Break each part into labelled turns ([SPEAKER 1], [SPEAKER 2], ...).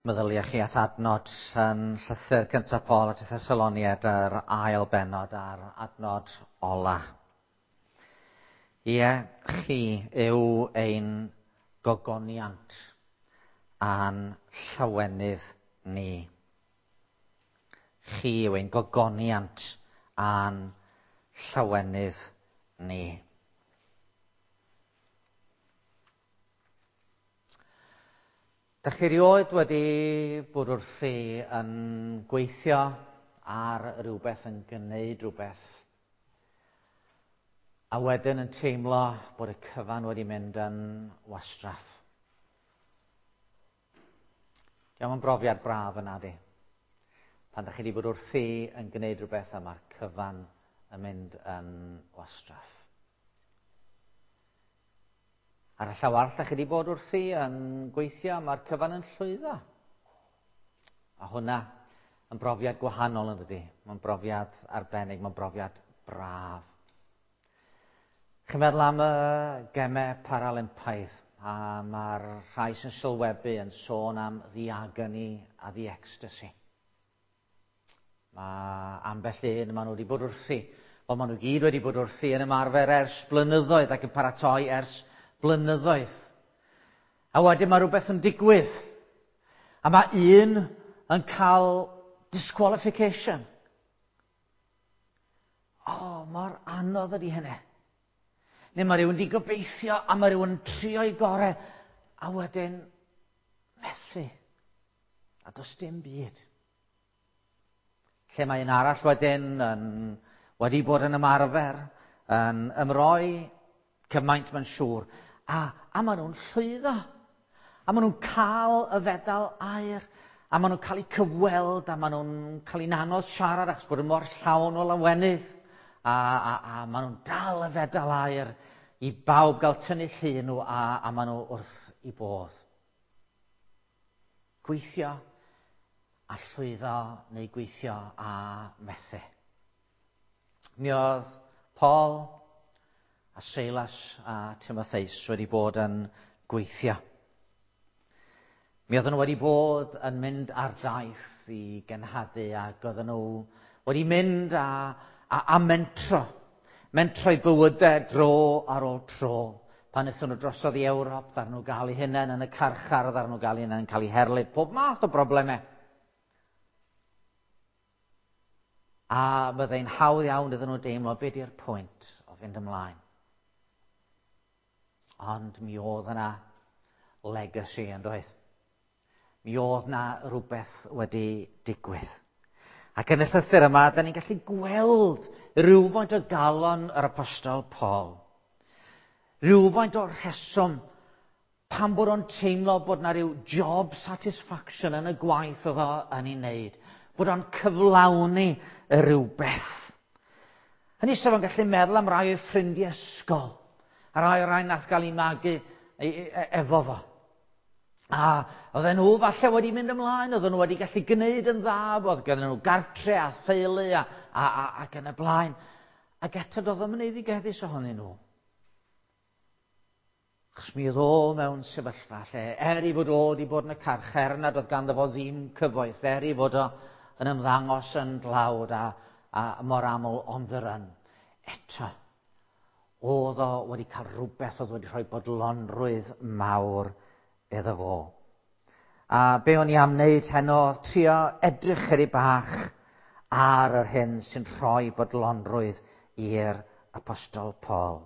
[SPEAKER 1] Meddyliau chi at adnod yn llythyr cyntaf Paul at y Thessaloniad yr ail bennod a'r adnod ola. Ie, chi yw ein gogoniant a'n llawenydd ni. Chi yw ein gogoniant a'n llawenydd ni. Dach chi erioed wedi bod wrthi yn gweithio ar rywbeth, yn gwneud rhywbeth, a wedyn yn teimlo bod y cyfan wedi mynd yn wastraff? Diolch yn brofiad braf yna di. Pan dach chi wedi bod wrthi yn gwneud rhywbeth a mae'r cyfan yn mynd yn wastraff. Ar y llaw arall, da chi wedi bod wrthi yn gweithio, mae'r cyfan yn llwyddo. A hwnna yn brofiad gwahanol yn dydy. Mae'n brofiad arbennig, mae'n brofiad braf. Chi'n meddwl am y gemau Paralympaidd, a mae'r rhai sy'n sylwebu yn sôn am the agony a the ecstasy. Mae ambell un, maen nhw wedi bod wrthi. Wel, maen nhw gyd wedi bod wrthi yn ymarfer ers blynyddoedd ac yn paratoi ers blynyddoedd. A wedyn mae rhywbeth yn digwydd. A mae un yn cael disqualification. O, oh, mor anodd ydy hynny. Neu mae rhywun wedi gobeithio a mae rhywun yn trio'i gorau a wedyn methu. A does dim byd. Lle mae un arall wedyn yn, wedi bod yn ymarfer, yn ymroi cymaint mae'n siŵr. A, a maen nhw'n llwyddo. A maen nhw'n cael y fedal aur. A maen nhw'n cael eu cyfweld, a maen nhw'n cael eu anodd siarad achos bod yn mor llawn o lawenydd. A, a, a maen nhw'n dal y fedal aur i bawb gael tynnu llun nhw, a, a maen nhw wrth i bodd. Gweithio a llwyddo neu gweithio a methu. Mi oedd Paul a Silas a Timotheus wedi bod yn gweithio. Mi oedden nhw wedi bod yn mynd ar daith i genhadu ac oedden nhw wedi mynd a, a, a mentro. Mentro i bywydau dro ar ôl tro. Pan wnaethon nhw drosodd i Ewrop, ddaru nhw gael eu hunain yn y carchar, ddaru nhw gael eu hunain yn cael eu herlid, pob math o broblemau. A byddai'n hawdd iawn iddyn nhw deimlo be di'r pwynt o fynd ymlaen. Ond mi oedd yna legacy yn doedd. Mi oedd na rhywbeth wedi digwydd. Ac yn y llythyr yma, da ni'n gallu gweld rhywfaint o galon yr apostol Paul. Rhywfaint o'r rheswm pam bod o'n teimlo bod na rhyw job satisfaction yn y gwaith oedd o yn ei wneud. Bod o'n cyflawni y rhywbeth. Hynny sef o'n gallu meddwl am rai o'i ffrindiau ysgol, a rai o'r rai nath gael ei magu efo fo. A oedden nhw falle wedi mynd ymlaen, oedden nhw wedi gallu gwneud yn dda, oedd gen nhw gartre a theulu a, a, a, ac yn y blaen. Ac eto doedd o'm yn eiddigeddus ohonyn nhw. Achos mi oedd o mewn sefyllfa lle, er i fod o wedi bod yn y carchar, nad oedd ganddo fo ddim cyfoeth, er i fod o yn ymddangos yn dlawd a, a mor aml on the run. Eto, oedd o wedi cael rhywbeth oedd wedi rhoi bodlonrwydd mawr iddo fo. A be o'n i am wneud heno, trio edrych chydig bach ar yr hyn sy'n rhoi bodlonrwydd i'r apostol Paul.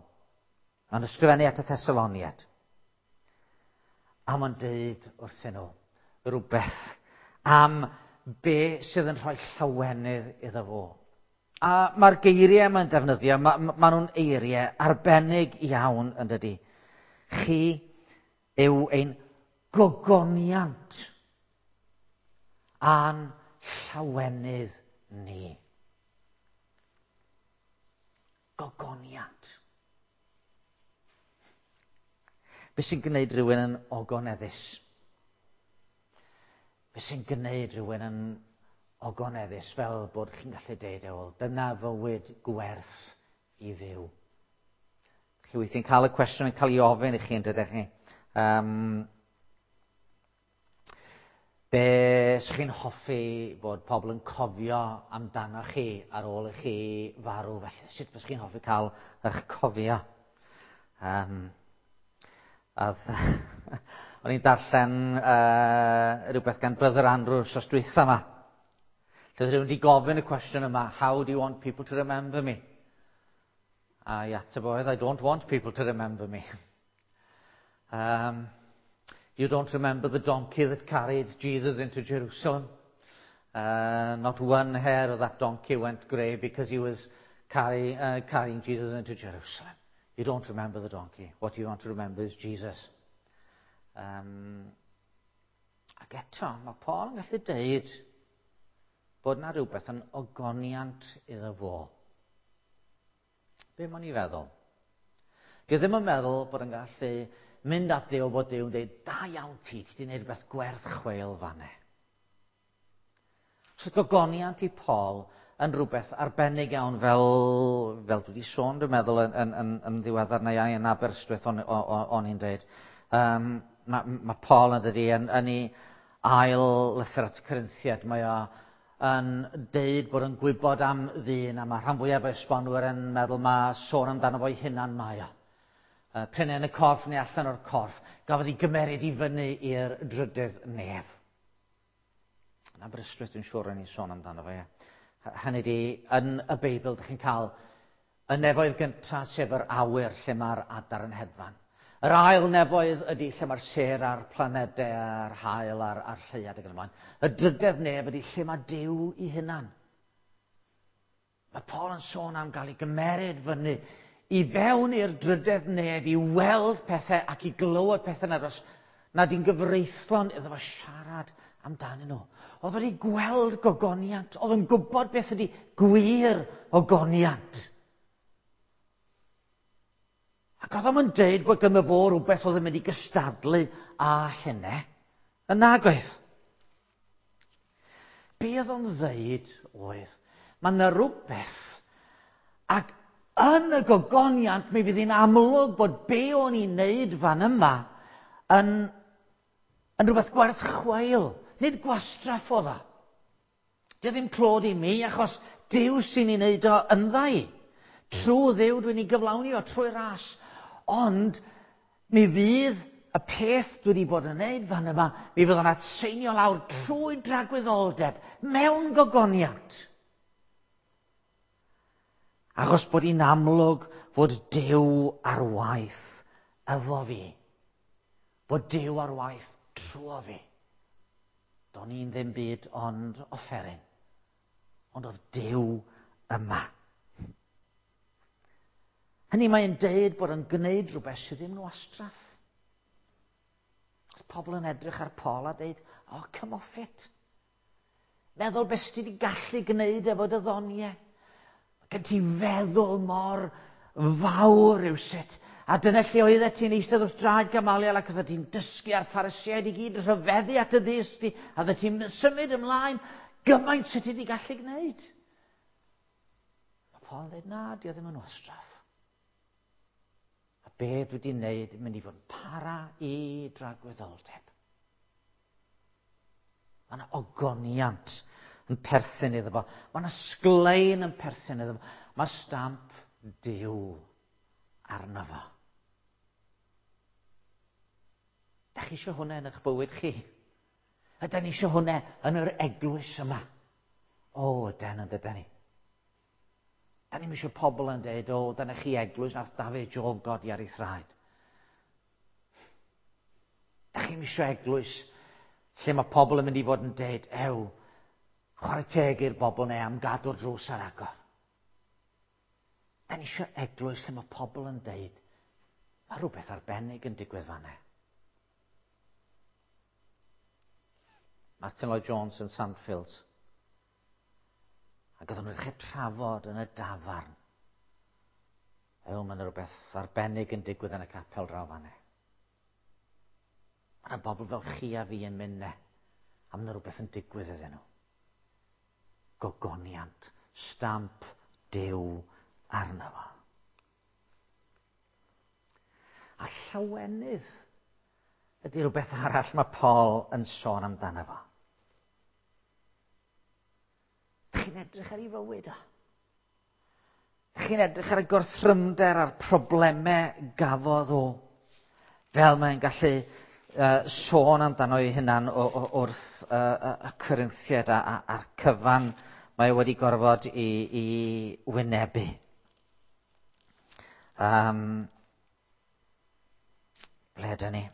[SPEAKER 1] Mae'n ysgrifennu at y Thessaloniad. A mae'n dweud wrthyn nhw rhywbeth am be sydd yn rhoi llawenydd iddo fo. A mae'r geiriau mae'n defnyddio, mae, ma nhw'n eiriau arbennig iawn yn dydy. Chi yw ein gogoniant a'n llawenydd ni. Gogoniant. Be sy'n gwneud rhywun yn ogoneddus? Be sy'n gwneud rhywun yn ogoneddus fel bod chi'n gallu deud, e, wel, dyna fywyd gwerth i fyw. Chi weithiau'n cael y cwestiwn yn cael ei ofyn i chi, yn dydych chi? Um, Be sych chi'n hoffi bod pobl yn cofio amdano chi ar ôl i chi farw felly? Sut fysych chi'n hoffi cael eich cofio? O'n i'n darllen rhywbeth gan Brother Andrew wsos dwytha yma. Lle oedd rhywun wedi gofyn y cwestiwn yma, "How do you want people to remember me?" A i ateb oedd, "I don't want people to remember me." You don't remember the donkey that carried Jesus into Jerusalem. Not one hair of that donkey went grey because he was carrying Jesus into Jerusalem. You don't remember the donkey. What you want to remember is Jesus. Ac eto, mae Paul yn gallu deud bod na rhywbeth yn ogoniant iddo fo. Be mae'n ei feddwl? Dwi ddim yn meddwl bod yn gallu mynd at Dduw bod Duw yn dweud, "Da iawn ti, ti wedi gwneud rhywbeth gwerth chweil fanne." So gogoniant i Paul yn rhywbeth arbennig iawn fel dwi wedi sôn, dwi'n meddwl, yn ddiweddar neu ai yn Aberystwyth o'n i'n dweud. Mae Paul yn dydi yn ei ail lythyr at y Corinthiad, mae o yn deud bod yn gwybod am ddyn, a mae rhan fwyaf o esbonwyr yn meddwl mae sôn amdano fo'i hunan mae o. P'un yn y corff neu allan o'r corff, gafodd ei gymeryd i fyny i'r drydydd nef. Yn Aberystwyth dwi'n siŵr o'n i'n sôn amdano fo, ie. Hynny di, yn y Beibl, ydych chi'n cael y nefoedd gyntaf, sef yr awyr lle mae'r adar yn hedfan. Yr ail nefoedd ydy lle mae'r sêr a'r planedau a'r haul a'r lleuad ac yn y blaen. Y drydedd nef ydy lle mae Duw i hunan. Mae Paul yn sôn am gael ei gymeryd fyny i fewn i'r drydedd nef i weld pethau ac i glywed pethau nad i'n gyfreithlon iddo fo siarad amdanyn nhw. Oedd wedi gweld gogoniant, oedd yn gwybod beth ydy gwir ogoniant. Ac oedd o'n deud bod ganddo fo rhywbeth oedd yn mynd i gystadlu â hynny. Yn nagoedd. Be oedd o'n ddeud oedd, mae yna rhywbeth, ac yn y gogoniant mi fydd hi'n amlwg bod be o'n i'n neud fan yma yn rhywbeth gwerth chweil, nid gwastraff oedd o. Dio ddim clod i mi, achos Duw sy'n ei wneud o yndda i. Trwy Dduw dwi'n ei gyflawni o trwy ras. Ond mi fydd y peth dwi wedi bod yn wneud fan yma, mi fydd o'n atseinio lawr trwy dragwyddoldeb mewn gogoniant. Achos bod hi'n amlwg fod Duw ar waith efo fi. Bod Duw ar waith trwy fi. Do'n i'n ddim byd ond offeryn. Ond oedd Duw yma. Hynny mae'n deud bod yn gwneud rhywbeth sydd ddim yn wastraff. Oedd pobl yn edrych ar Paul a deud, "Oh, come off it. Meddwl beth ti wedi gallu gwneud efo dy ddoniau. Mae gen ti feddwl mor fawr rywsut. A dyna lle oeddet ti'n eistedd wrth draed Gamaliel ac oeddet ti'n dysgu a'r Phariseaid i gyd yn rhyfeddu at y ddysg di, a oeddet ti'n symud ymlaen gymaint sydd ti wedi gallu gwneud." Mae Paul yn dweud, "Na, di o ddim yn wastraff. A be dwi wedi wneud yn mynd i fod yn para i dragwyddoldeb." Mae yna ogoniant yn perthyn iddo fo. Mae yna sglein yn perthyn iddo fo. Mae stamp Duw arno fo. Da chi eisiau hwnna yn eich bywyd chi? Ydy ni eisiau hwnna yn yr eglwys yma? O, yden, yn dydyn ni. Da ni'n eisiau pobl yn dweud, "O, dyna chi eglwys nath Dafydd Job godi ar ei thraed." Da chi'n eisiau eglwys lle mae pobl yn mynd i fod yn dweud, "Ew, chwarae teg i'r bobl neu am gadw'r drws ar agor." Da ni eisiau eglwys lle mae pobl yn deud, "Mae rhywbeth arbennig yn digwydd fanna." Martin Lloyd Jones yn Sandfields. Ac oedden nhw'n dechrau trafod yn y dafarn. "Ew, mae yna rhywbeth arbennig yn digwydd yn y capel draw fanna. Mae yna bobl fel chi a fi yn mynd ne, a mae yna rhywbeth yn digwydd iddyn nhw." Gogoniant, stamp Duw arno fo. A llawenydd ydy rhywbeth arall mae Paul yn sôn amdano fo. Chi'n edrych ar ei fywyd o. Chi'n edrych ar y gorthrymder a'r problemau gafodd o. Fel mae'n gallu sôn amdano ei hunan wrth y Corinthiaid a'r cyfan mae wedi gorfod i wynebu. Ble ydyn ni?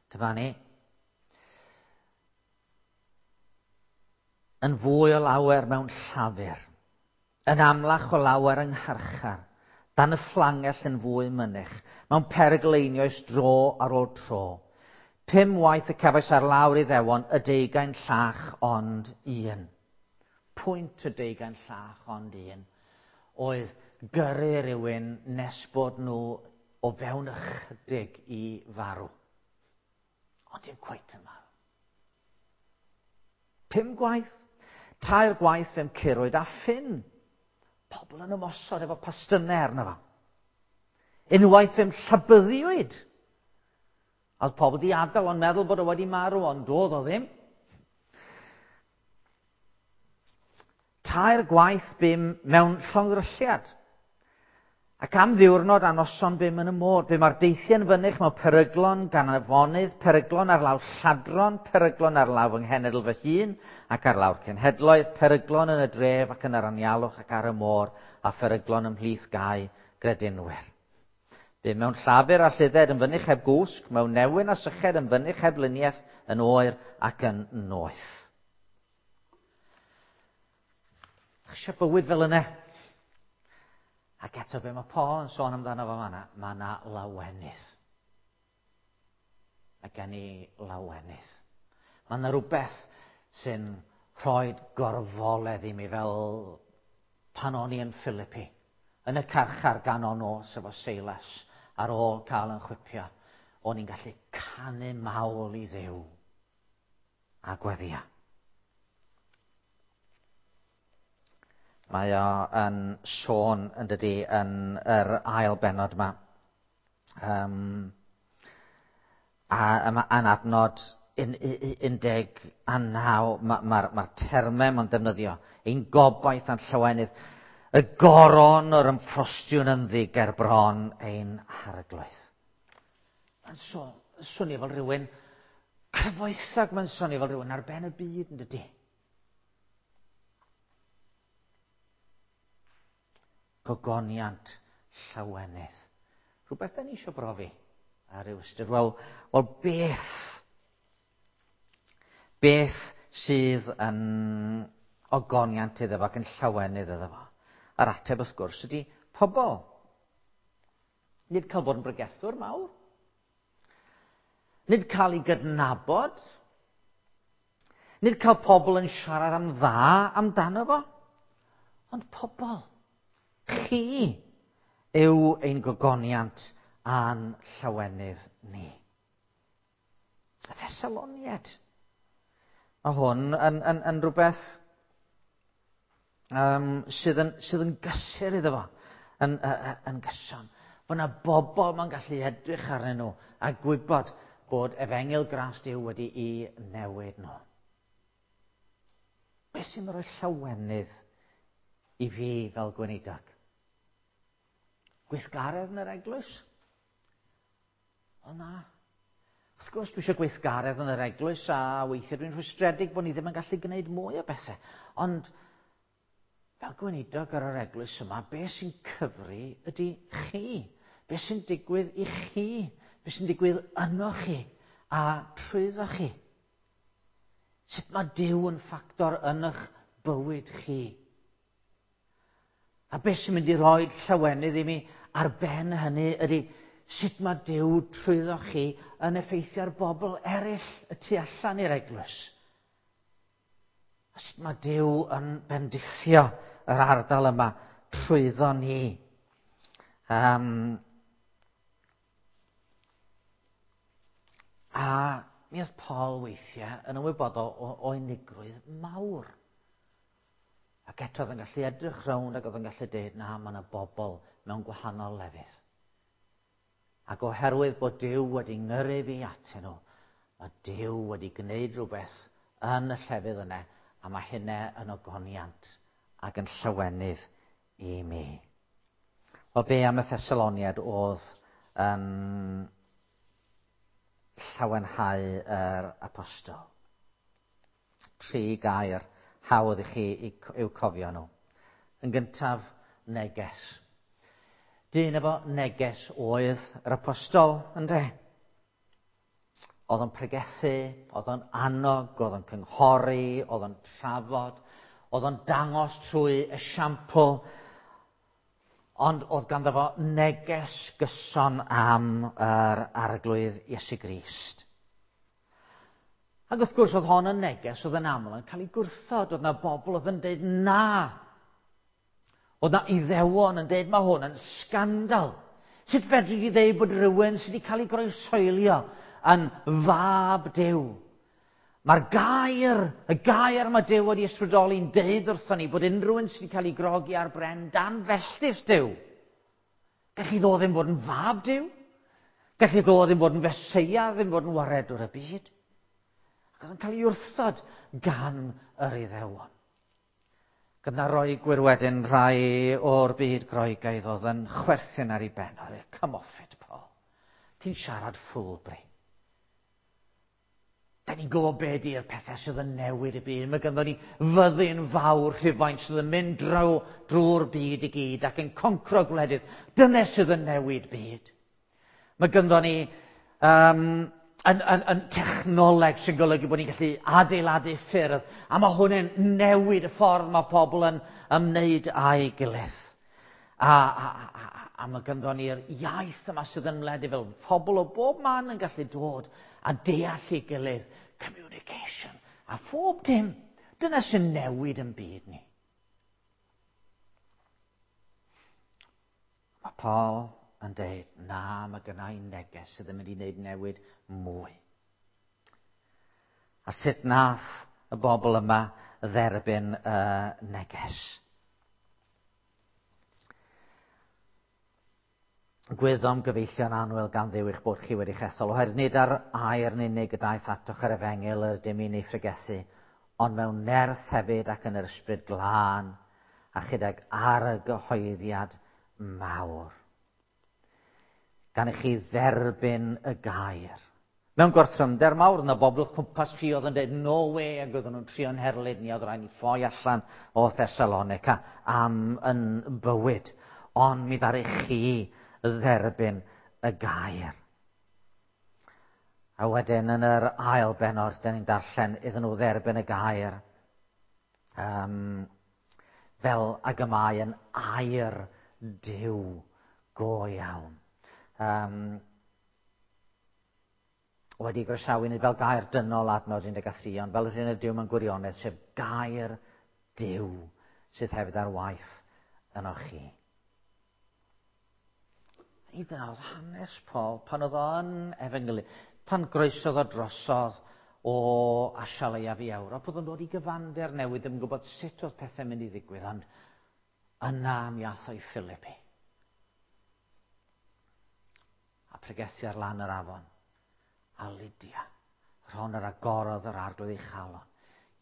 [SPEAKER 1] Dyma ni. Yn fwy o lawer mewn llafur, yn amlach o lawer yng ngharchar, dan y fflangell yn fwy mynych, mewn perygl einioes dro ar ôl tro. 5 waith y cefais ar lawr Iddewon y 20 llach ond un. Pwynt y 20 llach ond un oedd gyrru rhywun nes bod nhw o fewn ychydig i farw. Ond dim cweit yn marw. 5 gwaith, 3 gwaith fe'm curwyd a ffyn. Pobl yn ymosod efo pastynnau arno fo. Unwaith fe'm llabyddiwyd. A oedd pobl di adael ond meddwl bod o wedi marw, ond doedd o ddim. 3 gwaith bum mewn llongddrylliad. Ac am ddiwrnod a noson bum yn y môr, bum ar deithiau'n fynych mewn peryglon gan afonydd, peryglon ar lawr lladron, peryglon ar lawr fy nghenedl fy hun, ac ar lawr cenhedloedd, peryglon yn y dref ac yn yr anialwch ac ar y môr, a pheryglon ymhlith gau gredinwyr. Bum mewn llafur a lludded yn fynych heb gwsg, mewn newyn a syched yn fynych heb luniaeth, yn oer ac yn noeth. Eisiau bywyd fel yna. Ac eto be mae Paul yn sôn amdano fo fan'na, mae yna lawenydd. Mae gen i lawenydd. Mae yna rhywbeth sy'n rhoi gorfoledd i mi fel pan o'n i yn Philippi, yn y carchar ganol nos efo Silas, ar ôl cael yn chwipio, o'n i'n gallu canu mawl i Dduw a gweddia. Mae o yn sôn, yn dydi, yn yr ail bennod yma. A yma yn adnod 19, mae'r termau mae'n defnyddio. Ein gobaith a'n llawenydd, y goron o'r ymffrostiwn ynddi ger bron ein harglwydd. Mae'n swnio fel rhywun cyfoethog, mae'n swnio fel rhywun ar ben y byd, yn dydi? Gogoniant llawenydd. Rhywbeth da ni eisiau brofi ar ryw ystyr. Wel, beth? Beth sydd yn ogoniant iddo fo ac yn llawenydd iddo fo? A'r ateb wrth gwrs ydy pobl. Nid cael bod yn bregethwr mawr. Nid cael ei gydnabod. Nid cael pobl yn siarad am dda amdano fo. Ond pobl. Chi yw ein gogoniant a'n llawenydd ni. Y Thessaloniaid. Mae hwn yn rhywbeth sydd yn gysur iddo fo, yn gyson. Fod yna bobl mae'n gallu edrych arnyn nhw a gwybod bod efengyl gras Duw wedi'i newid nhw. Beth sy'n rhoi llawenydd i fi fel gweinidog? Gweithgaredd yn yr eglwys? O na. Wrth gwrs dwi eisiau gweithgaredd yn yr eglwys a weithiau dwi'n rhwystredig bod ni ddim yn gallu gwneud mwy o bethau. Ond fel gweinidog ar yr eglwys yma, beth sy'n cyfri ydy chi. Beth sy'n digwydd i chi. Beth sy'n digwydd yno chi a trwyddo chi. Sut mae Duw yn ffactor yn eich bywyd chi. A beth sy'n mynd i roi llawenydd i mi ar ben hynny ydy sut mae Duw trwyddo chi yn effeithio ar bobl eraill y tu allan i'r eglwys. A sut mae Duw yn bendithio yr ardal yma trwyddo ni. A mi oedd Paul weithiau yn ymwybodol o unigrwydd mawr. Ac eto oedd yn gallu edrych rownd ac oedd yn gallu dweud, na, mae yna bobl mewn gwahanol lefydd. Ac oherwydd bod Duw wedi ngyrru fi atyn nhw, mae Duw wedi gwneud rhywbeth yn y llefydd yna, a mae hynna yn ogoniant ac yn llawenydd i mi. Wel, be am y Thessaloniad oedd yn llawenhau yr apostol? Tri gair hawdd i chi i'w cofio nhw. Yn gyntaf, neges. Dyn efo neges oedd yr apostol, ynde? Oedd o'n pregethu, oedd o'n annog, oedd o'n cynghori, oedd o'n trafod, oedd o'n dangos trwy esiampl, ond oedd ganddo fo neges gyson am yr Arglwydd Iesu Grist. Ac wrth gwrs oedd hon yn neges oedd yn aml yn cael ei gwrthod, oedd na bobl oedd yn dweud na. Oedd na Iddewon yn dweud mae hwn yn sgandal. Sut fedri di ddeud bod rhywun sydd wedi cael ei groeshoelio yn fab Duw? Mae'r gair, y gair mae Duw wedi ysbrydoli'n deud wrthon ni bod unrhyw un sydd wedi cael ei grogi ar bren dan felltith Duw. Gallu ddo ddim bod yn fab Duw. Gallu ddo ddim bod yn Feseia, ddim bod yn waredwr y byd. Ac oedd yn cael ei wrthod gan yr Iddewon. Gyda Roegwyr wedyn rhai o'r byd Groegaidd oedd yn chwerthin ar ei ben. Oedd e, come off it, Paul. Ti'n siarad ffwlbri. Da ni'n gwybod be di'r pethau sydd yn newid y byd. Mae ganddo ni fyddin fawr Rhufain sydd yn mynd draw drwy'r byd i gyd ac yn concro gwledydd. Dyna sydd yn newid byd. Mae ganddo ni yn, yn, yn technoleg sy'n golygu bod ni'n gallu adeiladu ffyrdd, a mae hwn yn newid y ffordd mae pobl yn ymwneud â'i gilydd. A, a, a, a, a mae ganddo ni'r iaith yma sydd yn wledig fel pobl o bob man yn gallu dod a deall ei gilydd, communication, a phob dim. Dyna sy'n newid yn byd ni. Mae Paul yn deud, na, mae gynna i neges sydd yn mynd i wneud newid mwy. A sut nath y bobl yma dderbyn y neges? Gwyddom gyfeillion annwyl gan Dduw eich bod chi wedi chesol, oherwydd nid ar air yn unig y daeth atoch yr efengyl yr ydym ni'n ei phregethu, ond mewn nerth hefyd ac yn yr ysbryd glân, a chydag argyhoeddiad mawr. Gan i chi dderbyn y gair. Mewn gorthrymder mawr, yna bobl o'ch cwmpas chi oedd yn dweud, no way, ac oedden nhw'n trio'n herlid ni, oedd rhaid ni ffoi allan o Thessalonica am yn bywyd. Ond mi ddaru chi dderbyn y gair. A wedyn yn yr ail bennod, da ni'n darllen iddyn nhw dderbyn y gair. Fel ag y mae yn air Duw go iawn. Wedi groesawu nid fel gair dynol adnod 13, ond fel yr hyn ydyw mewn gwirionedd, sef gair Duw sydd hefyd ar waith yno chi. I dyna oedd hanes Paul pan oedd o'n efengylu, pan groesodd o drosodd o Asia Leiaf i Ewrop, oedd o'n dod i gyfander newydd, ddim yn gwybod sut oedd pethau'n mynd i ddigwydd, ond yna mi ath o i Philippi. A pregethu ar lan yr afon. A Lydia, rhon yr agorodd yr arglwydd ei chalon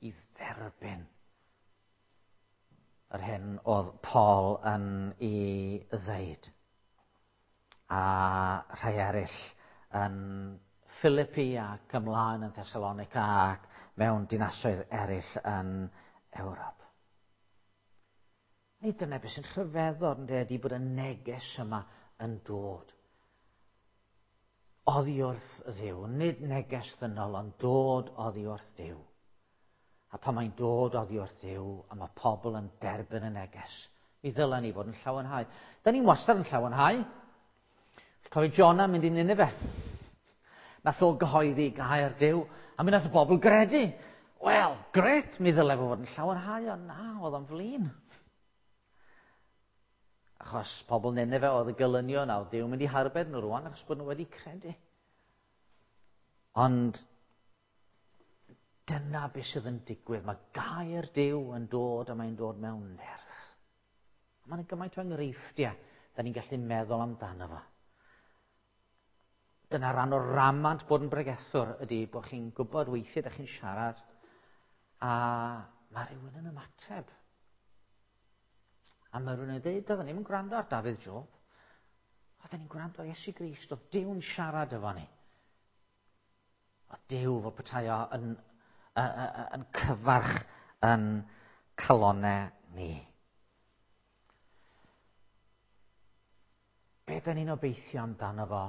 [SPEAKER 1] i dderbyn yr hyn oedd Paul yn ei ddeud. A rhai eraill yn Philippi ac ymlaen yn Thessalonica ac mewn dinasoedd eraill yn Ewrop. Nid dyna beth sy'n rhyfeddod yn ydy bod y neges yma yn dod oddi wrth Dduw. Nid neges ddynol, ond dod oddi wrth Dduw. A pan mae'n dod oddi wrth Dduw, a mae pobl yn derbyn y neges, mi ddylen ni fod yn llawenhau. Da ni'n wastad yn llawenhau. Cofio Jonah mynd i Nineveh. Nath o gyhoeddi gair Duw, a mi nath y bobl gredu. Wel, gret, mi ddyle fo fod yn llawenhau, ond na, oedd o'n flin. Achos pobl Nineveh oedd y gelynion, a oedd Duw mynd i harbed nhw rwan, achos bod nhw wedi credu. Ond dyna beth sydd yn digwydd. Mae gair Duw yn dod a mae'n dod mewn nerth. A mae'n gymaint o enghreifftiau da ni'n gallu meddwl amdano fo. Dyna rhan o'r ramant bod yn bregethwr ydy bod chi'n gwybod weithiau da chi'n siarad A mae rhywun yn ymateb. A mae rhywun yn dweud, doedden ni'n gwrando ar Dafydd Job. Oedden ni'n gwrando ar Iesu Grist, oedd Duw'n siarad efo ni. Oedd Duw fel petai o yn cyfarch yn calonau ni. Be da ni'n obeithio amdano fo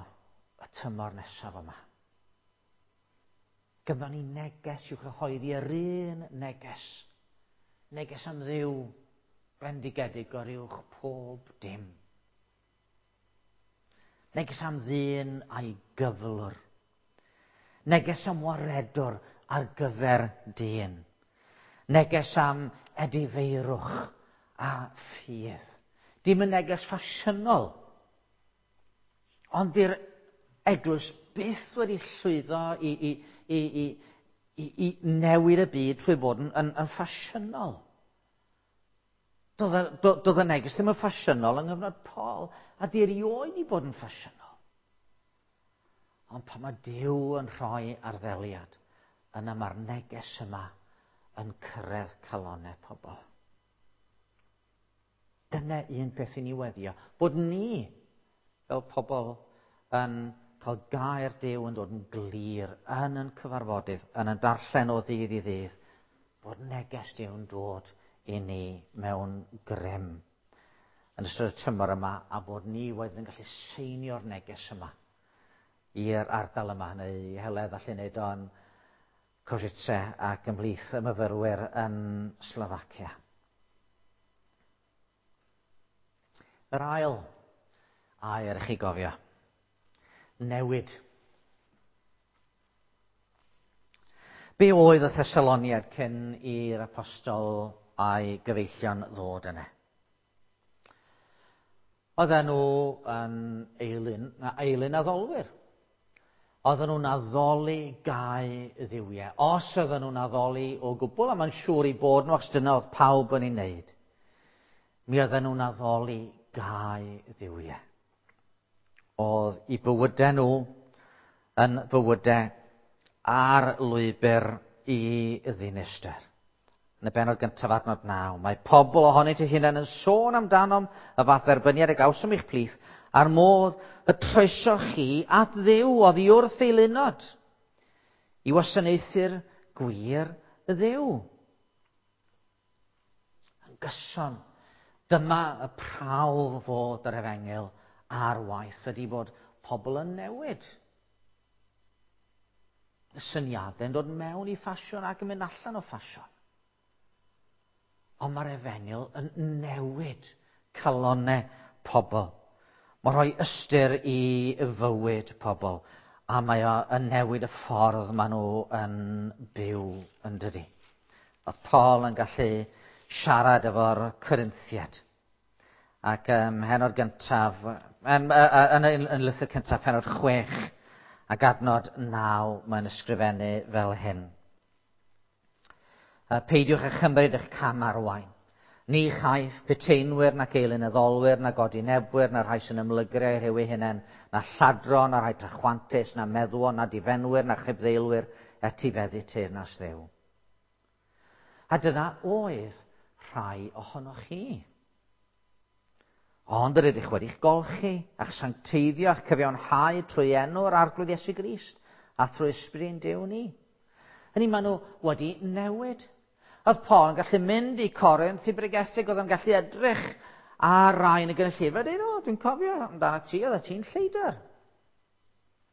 [SPEAKER 1] y tymor nesaf yma? Gynddon ni neges i'w chyhoeddi, yr un neges. Neges am Dduw bendigedig o'r uwch pob dim. Neges am ddyn a'i gyflwr. Neges am waredwr ar gyfer dyn. Neges am edifeirwch a ffydd. Dim yn neges ffasiynol, ond di'r eglwys byth wedi llwyddo i newid y byd trwy fod yn ffasiynol. Doedd y neges ddim yn ffasiynol yng nghyfnod Paul, a di erioed i bod yn ffasiynol. Ond pan mae Duw yn rhoi arddeliad, yna mae'r neges yma yn cyrraedd calonnau pobl. Dyna un peth i ni weddio, bod ni fel pobl yn cael gair Duw yn dod yn glir yn ein cyfarfodydd, yn ein darllen o ddydd i ddydd, bod neges Duw yn dod i ni mewn grym yn ystod y tymor yma, a bod ni wedyn yn gallu seinio'r neges yma i'r ardal yma, neu i Heledd allu wneud o'n Košice ac ymhlith y myfyrwyr yn Slofacia. Yr ail air i chi gofio. Newid. Be oedd y Thessaloniaid cyn i'r apostol a'i gyfeillion ddod yna? Oedden nhw yn eilun addolwyr. Oedden nhw'n addoli gau dduwiau. Os oedden nhw'n addoli o gwbl, a mae'n siŵr i bod nhw, achos dyna oedd pawb yn ei wneud, mi oedden nhw'n addoli gau dduwiau. Oedd i bywydau nhw yn bywydau ar lwybr i ddinistr. Yn y bennod gyntaf adnod 9, mae pobl ohonynt eu hunain yn sôn amdanom y fath dderbyniad y gawsom i'ch plith, a'r modd y troesoch chi at Dduw oddi wrth eilunod, i wasanaethu'r gwir Dduw. Yn gyson, dyma y prawf fod yr efengyl ar waith ydy bod pobl yn newid. Y syniadau'n dod mewn i ffasiwn ac yn mynd allan o ffasiwn. Ond mae'r efengyl yn newid calonnau pobl. Mae'n rhoi ystyr i fywyd pobl, a mae o yn newid y ffordd maen nhw yn byw, yn dydi. Oedd Paul yn gallu siarad efo'r Corinthiaid. Ac pennod gyntaf, yn lythyr cyntaf, pennod 6 ac adnod 9, mae'n ysgrifennu fel hyn. Peidiwch â chymryd eich cam arwain. Ni chaiff peteinwyr nac eilunaddolwyr, na godinebwyr, na rhai sy'n ymlygru eu rhyw eu hunain, na lladron, na rhai trachwantus, na meddwon, na difenwyr, na chibddeilwyr, etifeddu teyrnas Dduw. A dyna oedd rhai ohonoch chi. Ond yr ydych wedi'ch golchi, a'ch sancteiddio, a'ch cyfiawnhau trwy enw'r Arglwydd Iesu Grist, a thrwy ysbryd Duw ni. Hynny maen nhw wedi newid. Oedd Paul yn gallu mynd i Corinth i bregethu, oedd yn gallu edrych ar rai yn y gynulleidfa a dweud, o, dwi'n cofio amdano ti, oedd ti'n lleidr.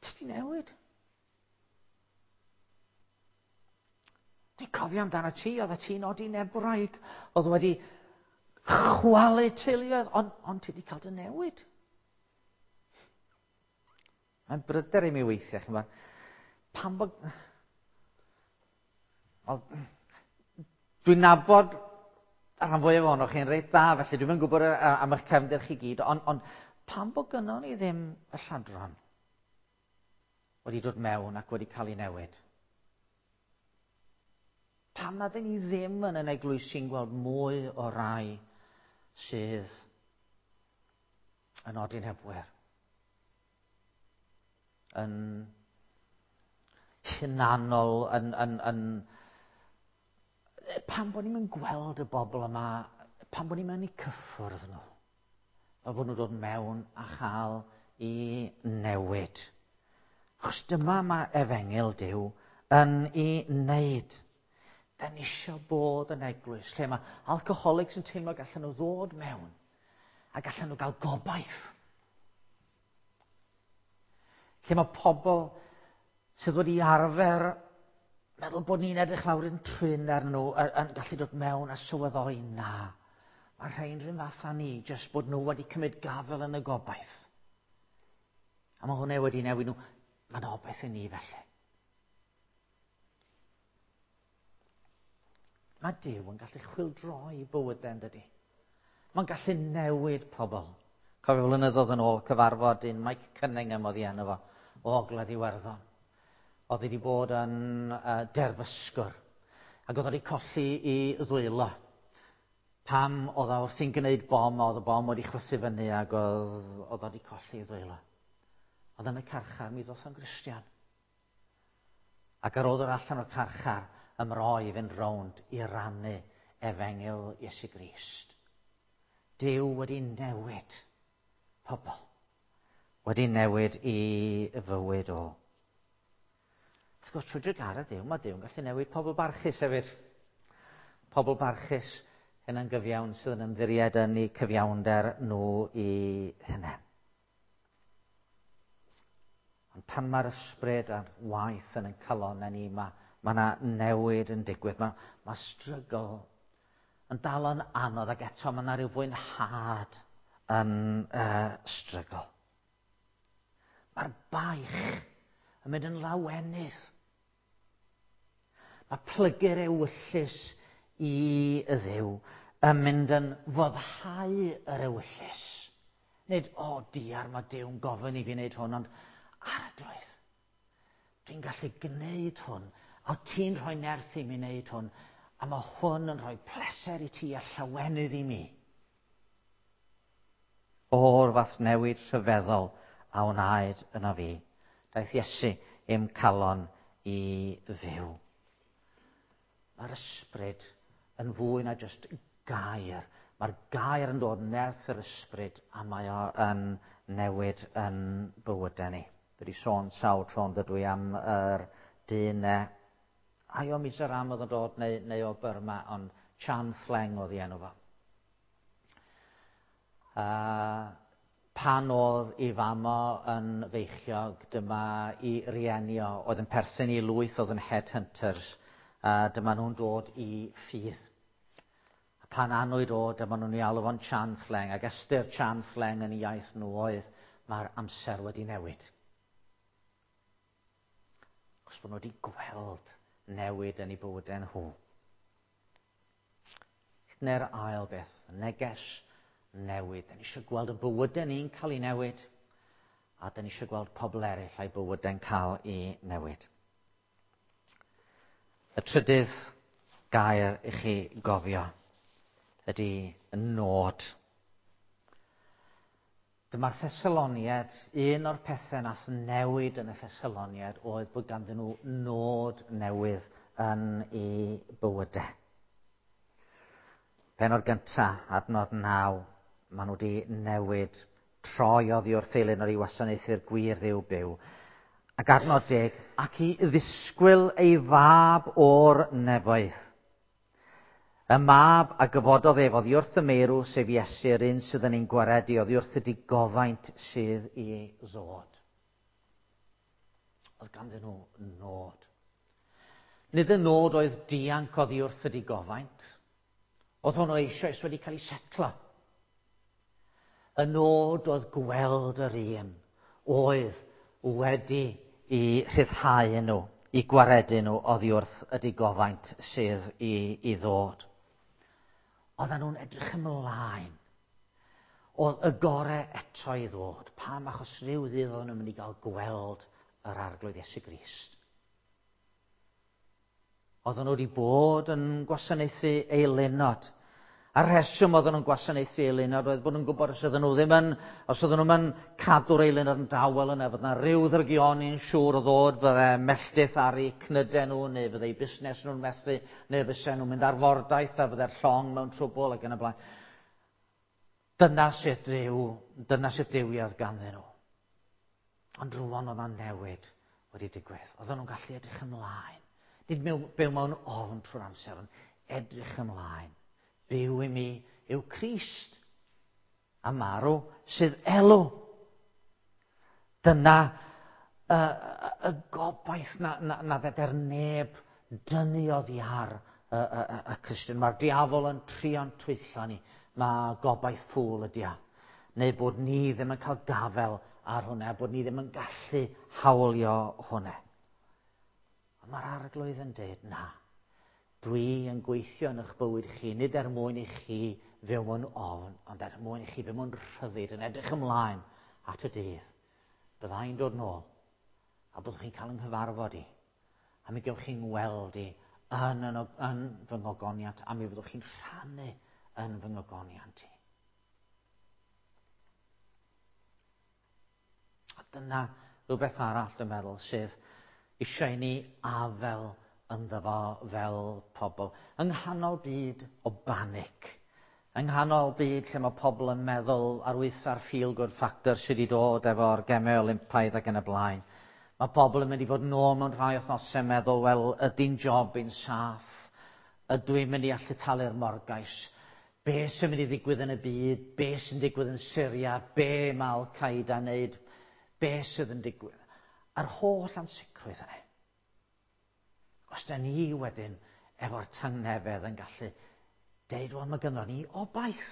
[SPEAKER 1] Ti di newid. Dwi'n cofio amdano ti, oedd ti'n odinebwraig, oedd wedi chwalu teuluoedd, ond ti wedi cael dy newid. Mae'n bryder i mi weithiau, chi'n gwybod, pam bod... Dwi'n nabod y rhan fwyaf ohonoch chi'n reit dda, felly dwi'm yn gwybod am eich cefndir chi gyd, ond pam bod gynnon ni ddim y lladron wedi dod mewn ac wedi cael ei newid? Pam nad ydyn ni ddim yn yn eglwysi'n gweld mwy o rai sydd yn odinebwyr, yn hunanol, yn Pam bod ni'n gweld y bobl yma, pam bod ni'n mynd i cyffwrdd nhw? Fel bod nhw'n dod mewn a chael i newid. Achos dyma mae efengyl Duw yn ei wneud. Da ni eisiau bod yn eglwys lle mae alcoholics yn teimlo gallan nhw ddod mewn a gallan nhw gael gobaith. Lle mae pobl sydd wedi arfer meddwl bod ni'n edrych lawr yn trin ar nhw yn gallu dod mewn a sylweddoli na. Mae rhain rhywun fath â ni, jyst bod nhw wedi cymryd gafel yn y gobaith. A mae hwnna wedi newid nhw. Mae'n obaith i ni felly. Mae Duw yn gallu chwildroi bywydau yn dydy. Mae'n gallu newid pobl. Cofio flynyddoedd yn ôl cyfarfod un Mike Cunningham oedd ei enw fo, o Ogledd Iwerddon. Oedd wedi bod yn derfysgwr ac oedd wedi colli i ddwylo. Pam oedd o wrthi'n gwneud bom, oedd y bom wedi chwythu fyny ac oedd, oedd wedi colli i ddwylo. Oedd yn y carchar, mi ddoth o'n Gristion. Ac ar ôl dod allan o'r carchar, ymroi i fynd rownd i rannu efengyl Iesu Grist. Duw wedi newid pobl. Wedi newid i fywyd o. Wrth gwrs, trwy drugaredd Duw, mae Duw yn gallu newid pobl barchus hefyd. Pobl barchus hynna'n gyfiawn sydd yn ymddiried yn eu cyfiawnder nhw i hynny. Ond pan mae'r ysbryd a'r waith yn ein calonnau ni, mae, mae yna newid yn digwydd. Mae, mae strygl yn dal yn anodd ac eto mae yna rhyw fwynhad yn strygl. Mae'r baich yn mynd yn lawenydd. Mae plygu'r ewyllys i y ddew yn mynd yn foddhau yr ewyllys. Nid, o oh, diar, mae Duw'n gofyn i fi wneud hwn, ond arglwydd, dwi'n gallu gwneud hwn, a ti'n rhoi nerth i mi wneud hwn, a mae hwn yn rhoi pleser i ti a llawenydd i mi. O'r fath newid rhyfeddol a wnaed yna fi. Daeth Iesu i'm calon i fyw. Mae'r ysbryd yn fwy na jyst gair. Mae'r gair yn dod nerth yr ysbryd a mae o yn newid yn bywydau ni. Dwi wedi sôn sawl tro yn dydw i am yr dyn ne. Ai o Mizoram oedd yn dod neu, neu o Burma, ond Chan Thleng oedd ei enw fo. Pan oedd ei fam o yn feichiog, dyma i rieni o, oedd yn perthyn i lwyth oedd yn headhunters, dyma nhw'n dod i ffydd. A pan anwyd o, dyma nhw'n ei alw fo'n Chan Thleng, ac ystyr Chan Thleng yn ei iaith nhw oedd, mae'r amser wedi newid. Achos bod nhw wedi gweld newid yn eu bywydau nhw. Neu'r ail beth, neges newid. Da ni eisiau gweld y bywydau ni'n cael ei newid, a da ni eisiau gweld pobl eraill a'i bywydau'n cael ei newid. Y trydydd gair i chi gofio ydy nod. Dyma'r Thessaloniaid, un o'r pethau nath newid yn y Thessaloniaid oedd bod ganddyn nhw nod newydd yn eu bywydau. Penod gyntaf, adnod 9, maen nhw wedi newid troi oddi wrth eilun o'r i wasanaethu'r gwir ddiw byw. Ac adnod 10, ac i ddisgwyl ei fab o'r nefoedd. Y mab a gyfododd ef oddi wrth y meirw, sef Iesu, yr un sydd yn ein gwaredu oddi wrth y digofaint sydd i ddod. Oedd ganddyn nhw nod. Nid y nod oedd dianc oddi wrth y digofaint. Oedd hwnnw eisoes wedi cael ei setlo. Y nod oedd gweld yr un oedd wedi i rhyddhau nhw, i gwaredu nhw oddi wrth y digofaint sydd i, i ddod. Oedden nhw'n edrych ymlaen. Oedd y gore eto i ddod. Pam? Achos rhyw ddydd oedden nhw'n mynd i gael gweld yr arglwydd Iesu Grist. Oedden nhw wedi bod yn gwasanaethu eilunod. A'r rheswm oedden nhw'n gwasanaethu eilunod oedd bod nhw'n gwybod os oedden nhw ddim yn, os oedden nhw'n yn cadw'r eilunod yn dawel yna, fod yna rhyw ddrygioni'n siŵr o ddod, fydde melltith ar eu cnydau nhw, neu fydde eu busnes nhw'n methu, neu fysen nhw'n mynd ar fordaith a fydde'r llong mewn trwbl ac yn y blaen. Dyna sut dduw, dyna sut dduwiau oedd ganddyn nhw. Ond rwan oedd yna newid wedi digwydd. Oedden nhw'n gallu edrych ymlaen. Nid byw mewn ofn trwy'r amser, ond edrych ymlaen. Byw i mi yw Crist, a marw sydd elw. Dyna y, y, y gobaith na, na, na feder neb dynnu oddi ar y, y, y, y Cristion. Mae'r diafol yn trio'n twyllo ni. Mae gobaith ffŵl ydi o. Neu bod ni ddim yn cael gafel ar hwnna, bod ni ddim yn gallu hawlio hwnna. Ond mae'r arglwydd yn dweud, na, dwi yn gweithio yn eich bywyd chi, nid er mwyn i chi fyw mewn ofn, ond er mwyn i chi fyw mewn rhyddid, yn edrych ymlaen at y dydd. Byddai'n dod nôl, a byddwch chi'n cael yng nghyfarfod i, a mi gewch chi'n weld i yn, yn, yn fy ngogoniant, a mi fyddwch chi'n rhannu yn fy ngogoniant i. A dyna rhywbeth arall, dwi'n meddwl, sydd eisiau i ni afel ynddo fo fel pobl. Yng nghanol byd o banic, yng nghanol byd lle mae pobl yn meddwl ar waetha'r feel-good factor sydd wedi dod efo'r gemau Olympaidd ac yn y blaen. Mae pobl yn mynd i fod nôl mewn rhai wythnosau yn meddwl, wel, ydy'n job i'n saff? Ydw i'n mynd i allu talu'r morgais? Be sy'n mynd i ddigwydd yn y byd? Be sy'n digwydd yn Syria? Be mae Al-Qaeda yn neud? Be sydd yn digwydd? A'r holl ansicrwydd yna. Os da ni wedyn efo'r tangnefedd yn gallu deud, wel, mae gynnon ni obaith.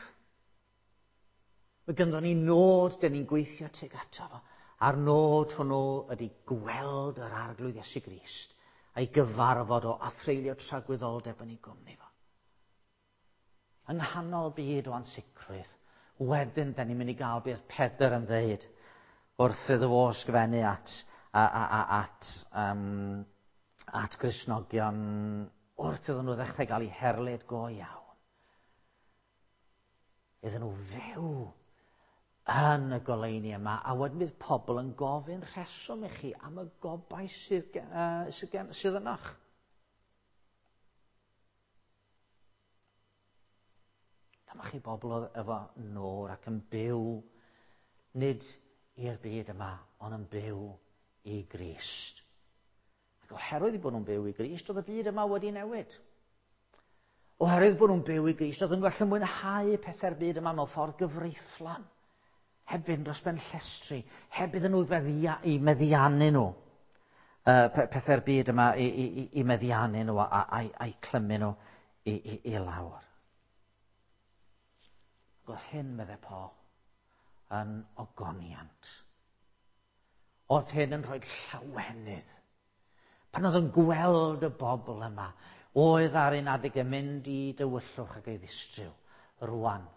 [SPEAKER 1] Mae gynnon ni nod, da ni'n gweithio tuag ato fo. A'r nod hwnnw ydy gweld yr Arglwydd Iesu Grist a'i gyfarfod o a threulio tragwyddoldeb yn ei gwmni fo. Yng nghanol byd o ansicrwydd, wedyn da ni'n mynd i gael beth Pedr yn ddeud wrth iddo fo ysgrifennu at, a, a, a, at, um, at Gristnogion wrth iddyn nhw ddechrau gael eu herlid go iawn. Iddyn nhw fyw yn y goleuni yma, a wedyn bydd pobl yn gofyn rheswm i chi am y gobaith sydd, uh, sydd, gen, sydd ynoch. Dyma chi bobl oedd efo nôr ac yn byw nid i'r byd yma, ond yn byw i Grist. Ac oherwydd eu bod nhw'n byw i Grist, oedd y byd yma wedi newid. Oherwydd bod nhw'n byw i Grist, oedd yn gallu mwynhau pethau'r byd yma mewn ffordd gyfreithlon. Heb fynd dros ben llestri, heb iddyn nhw feddia, i meddiannu nhw. Uh, pethau'r byd yma i, i, i, i meddiannu nhw a, a, a'i clymu nhw i, i, i lawr. Ac oedd hyn, meddai Paul, yn ogoniant. Oedd hyn yn rhoi llawenydd. Pan oedd yn gweld y bobl yma, oedd ar un adeg yn mynd i dywyllwch ac ei ddistryw, rwan,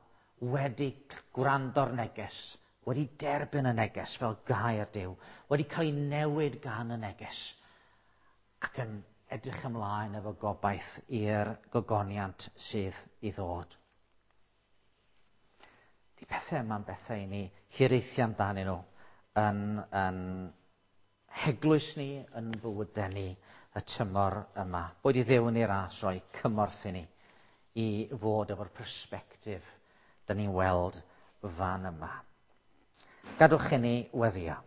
[SPEAKER 1] wedi gwrando'r neges, wedi derbyn y neges fel gair Duw, wedi cael ei newid gan y neges, ac yn edrych ymlaen efo gobaith i'r gogoniant sydd i ddod. Di pethau yma'n bethau i ni hiraethu amdanyn nhw yn, yn heglwys ni, yn bywydau ni y tymor yma. Boed i Dduw yn ei ras roi cymorth i ni i fod efo'r persbectif da ni'n weld fan yma. Gadwch i ni weddio.